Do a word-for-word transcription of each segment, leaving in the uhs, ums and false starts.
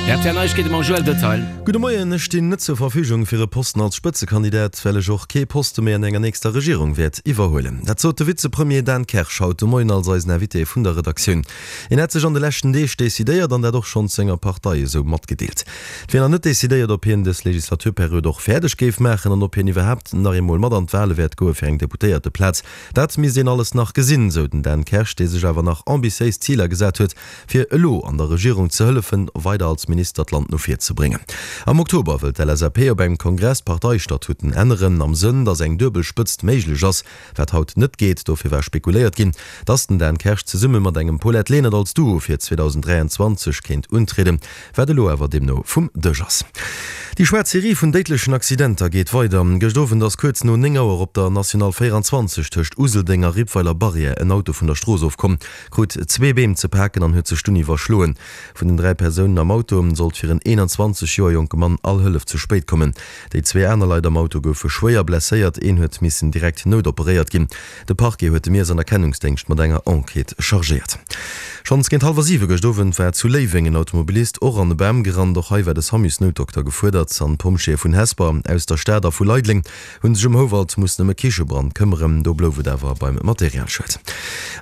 R T L Neiegkeete mam Joël Detail. Gudde Moien, ech stinn net zur Verfügung fir e Posten als Spëtzekandidat, well ech och kee Poste méi an enger nächster Regierung wäert iwwerhuelen. Dat sot de Vizepremier Dan Kersch haut de Moien als eisen Invité vun der Redaktioun. Hien hätt sech an de leschten Deeg decidéiert an dat och schonns senger Partei esou matgedeelt. Et wier nach net decidéiert, ob hien dës Legislaturperiod och fäerdeg géif maachen an ob hien iwwerhaapt nach eemol mat an d'Wale wäert goe fir eng Deputéierteplaz. Dat misst een alles nach gesinn, sou den Dan Kersch, dee sech awer nach ambitiéis Ziler gesat huet, fir elo an der Regierung ze hëllefen, weider als Minister d'Land no vir ze bréngen. Am Oktober wëll d'L S A P op engem Kongress d'Parteistatuten änneren, am Sënn, datt eng duebel Spëtzt méiglech ass, wat haut net geet. Dofir war spekuléiert ginn, datt den Dan Kersch zesumme mat engem Paulette Lenert als Duo fir zweedausend dräianzwanzeg kéint untrieden, wat elo awer deemno vum Dësch ass. Déi schwaarz Serie vun déidlechen Accidenter geet weider. Gëscht Owend ass kuerz no néng Auer op der National véieranzwanzeg tëscht Useldeng a Rippweiler Barrière en Auto vun der Strooss ofkomm, krut zwee Beem ze paken an huet sech dunn iwwerschloen. Vun den dräi Persounen am Auto sollt fir en eenanzwanzeg Joer jonke Mann all Hëllef ze spéit kommen. Déi zwee aner Leit am Auto goufe schwéier blesséiert, een huet missen direkt noutoperéiert ginn. De Parquet huet de Miess an Erkennungsdéngscht mat enger Enquête chargéiert. Schonns géint hallwer siwe gëscht Owend war zu Léiweng en Automobilist och an e Bam gerannt. Och hei war de Samusnoutdokter gefuerdert an d'Pompjeeë vun Hesper, aus der Stad a vu Leideleng hu sech um Houwald mussen ëm e Kichebrand këmmeren. Do blouf et awer beim Materialschued.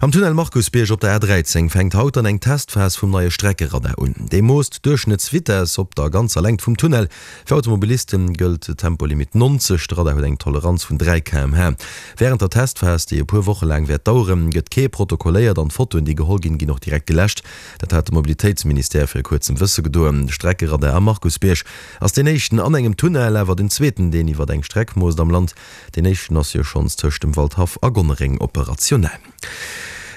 Am Tunnel Markusbierg op der A dräizéng fänkt haut dann eng Testphas vum neie Streckeradar un. Dee moosst d'Duerchschnëttsvitess op der ganzer Längt vum Tunnel. Fir Automobiliste gëllt Tempolimit neunzeg, de Radar huet eng Toleranz vun dräi Kilometer pro Stonn. Wärend der Testphas, déi e puer Woche laang wäert daueren, gëtt kee protokolléiert an d'Fotoen, déi geholl ginn, ginn och direkt geläscht. Dat hat de Mobilitéitsministère viru kuerzem wësse gedoen. De Streckeradar am Markusbierg ass deen éischten an engem Tunnel, awer den zweeten, deen iwwer eng Streck moosst am Land. Deen éischten ass jo schonns tëscht dem Waldhaff a Gonnereng operationell.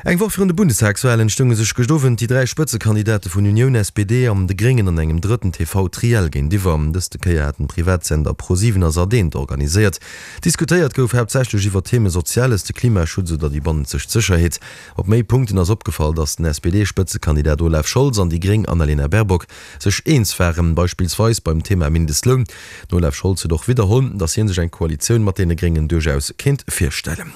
Eng Woch virun de Bundestagswalen stounge sech gëscht Owend déi dräi Spëtzekandidate vun Unioun, S P D an de Gréngen an engem drëtten T V-Triell géintiwwer. Dëste Kéier haten d'Privatsender ProSieben a Sat eent organiséiert. Diskutéiert gouf haaptsächlech iwwer Theme Soziales, de Klimaschutz oder déi bannenzeg Sécherheet. Op méi Punkten ass opgefall, datt den S P D-Spëtzekandidat Olaf Scholz an déi Gréng Annalena Baerbock sech eens waren, beispillsweis beim Thema Mindestloun. Den Olaf Scholz huet och widderholl, datt hie sech eng Koalitioun mat deene Gréngen duerchaus kéint virstellen.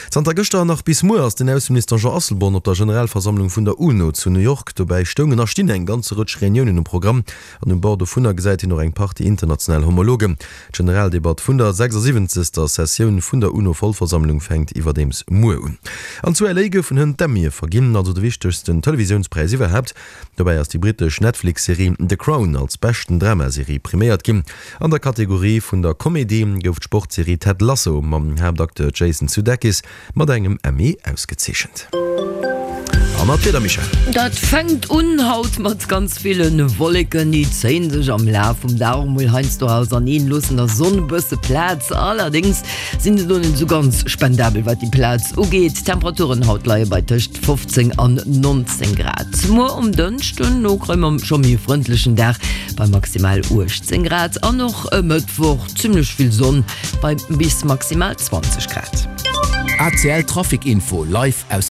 Zanter gëschter nach bis muer ass den Ausseminister Jean Asselborn op der Generalversammlung vun der UNO zu New York. Dobäi stoungen a stinn eng ganz Rëtsch Reuniounen um Programm an um Bord dovunner gesäit hien och eng Partie international Homologen. D'Generaldebatt vun der sechsasiwwenzegster. Sessioun vun der UNO-Vollversammlung fänkt iwwerdeems muer un. An zu L A goufen hënt d'Emmye verginn, also de wichtegsten Televisiounspräis iwwerhaapt. Dobäi ass déi brittesch Netflix-Serie The Crown als beschten Dramaserie priméiert ginn. An der Kategorie vun der Komedie gouf d'Sportserie Ted Lasso mam Haaptacteur Jason Sudeikis mat engem Emmy ausgezeechent. A mat Wieder, Michèle. Dat fänkt un haut mat ganz ville Wolleken, déi zéien sech am Laf vum Dag mol heiansdo auserneen, loossen der Sonn e bësse Plaz. Allerdéngs sinn se do net sou ganz spendabel, wat déi Plaz ugeet. D'Temperaturen haut leie bei tëscht fofzéng an nonzéng Grad. Muer um Dënschden no kréie mer scho méi e frëndlechen Dag bei maximal uechtzéng Grad an och e Mëttwoch zimmlech vill Sonn bei bis maximal zwanzeg Grad. A C L Trafic Info live aus